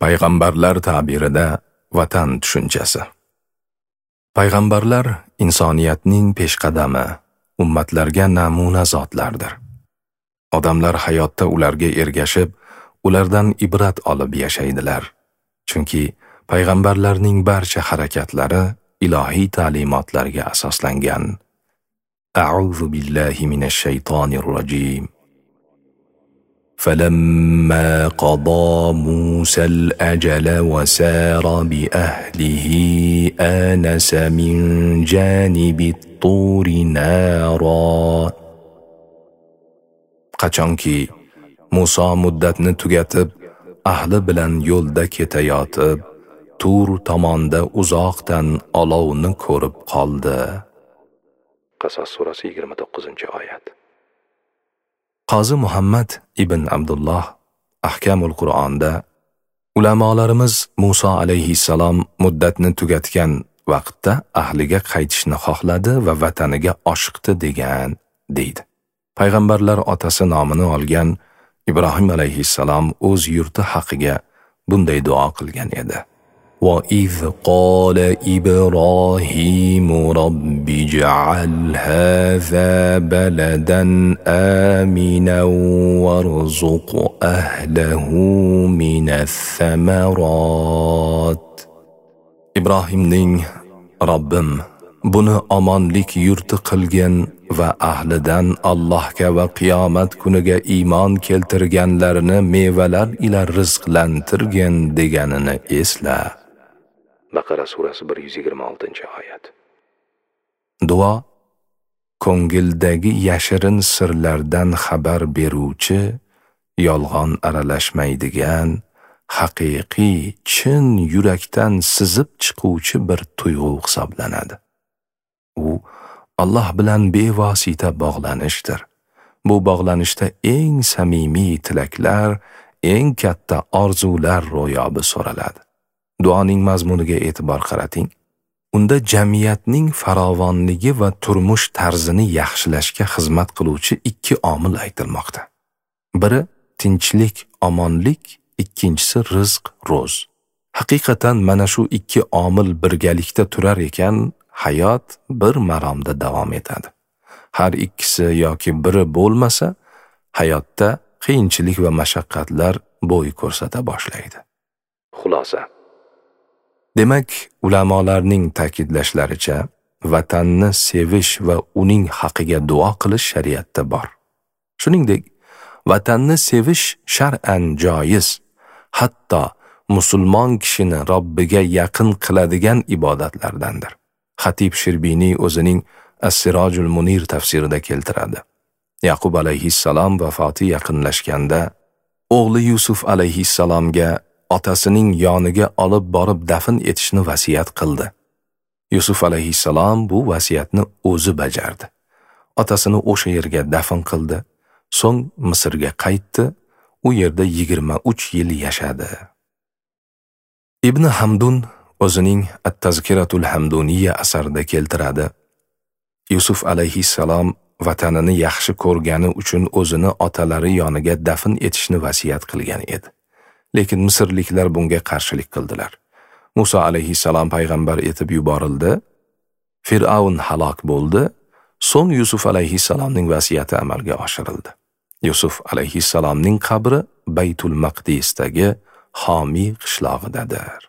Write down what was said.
Payg'ambarlar ta'birida vatan tushunchasi. Payg'ambarlar insoniyatning peshqadami, ummatlarga namuna zotlardir. Odamlar hayotda ularga ergashib, ulardan ibrat olib yashaydilar. Chunki payg'ambarlarning barcha harakatlari ilohiy ta'limotlarga asoslangan. A'udhu billahi minash shaytonir rojim. فلما قضى موسى الأجل وسار بأهله آنس من جانب الطور نارا. Qachonki Musa muddatni tugatib, ahli bilan yo'lda ketayotib, Tur tomonda uzoqdan olovni ko'rib qoldi. Qasas surasi 29-oyat. Qozi Muhammad ibn Abdulloh Ahkamul Qur'onda ulamolarimiz Musa alayhissalom muddatni tugatgan vaqtda ahliga qaytishni xohladi va vataniga oshiqdi degan, deydi. Payg'ambarlar otasi nomini olgan Ibrohim alayhissalom o'z yurti haqiga bunday duo qilgan edi. وَإِذْ قَالَ إِبْرَاهِيمُ رَبِّ اجْعَلْ هَذَا بَلَدًا آمِنًا وَارْزُقْ أَهْلَهُ مِنَ الثَّمَرَاتِ. Ibrohimning Robbim, buni omonlik yurti qilgin va ahlidan Allohga va qiyomat kuniga iymon keltirganlarni mevalar ila rizqlantirgin deganini esla. Baqara surasi 126-oyat. Duo ko'ngildagi yashirin sirlardan xabar beruvchi, yolg'on aralashmaydigan, haqiqiy, chin yurakdan sizib chiquvchi bir tuyg'u hisoblanadi. U Alloh bilan bevosita bog'lanishdir. Bu bog'lanishda eng samimiy tilaklar, eng katta orzular ro'yobi so'raladi. Duoning mazmuniga e'tibor qarating. Unda jamiyatning farovonligi va turmush tarzini yaxshilashga xizmat qiluvchi ikki omil aytilmoqda. Biri tinchlik, omonlik, ikkinchisi rizq, ro'z. Haqiqatan mana shu ikki omil birgalikda turar ekan, hayot bir maromda davom etadi. Har ikkisi yoki biri bo'lmasa, hayotda qiyinchilik va mashaqqatlar bo'y ko'rsata boshlaydi. Xulosa. Demak, ulamolarning ta'kidlashlaricha, vatanni sevish va uning haqiga duo qilish shariatda bor. Shuningdek, vatanni sevish shar'an joiz, hatto musulmon kishini Robbiga yaqin qiladigan ibodatlardandir. Xatib Shirbiniy o'zining As-Sirojul Munir tafsirida keltiradi. Yaqub alayhissalom vafoti yaqinlashganda o'g'li Yusuf alayhissalomga otasining yoniga olib borib dafn etishni vasiyat qildi. Yusuf alayhissalom bu vasiyatni o'zi bajardi. Otasini o'sha yerga dafn qildi. So'ng Misrga qaytdi. U yerda 23 yil yashadi. Ibn Hamdun o'zining At-Tazkiratul Hamduniyya asarida keltiradi. Yusuf alayhissalom vatanini yaxshi ko'rgani uchun o'zini otalari yoniga dafn etishni vasiyat qilgan edi. Lekin misrliklar bunga qarshilik qildilar. Musa alayhissalom payg'ambar etib yuborildi. Fir'avn halok bo'ldi. So'ng Yusuf alayhissalomning vasiyati amalga oshirildi. Yusuf alayhissalomning qabri Baytul Maqdisdagi Xomiy qishlog'idadir.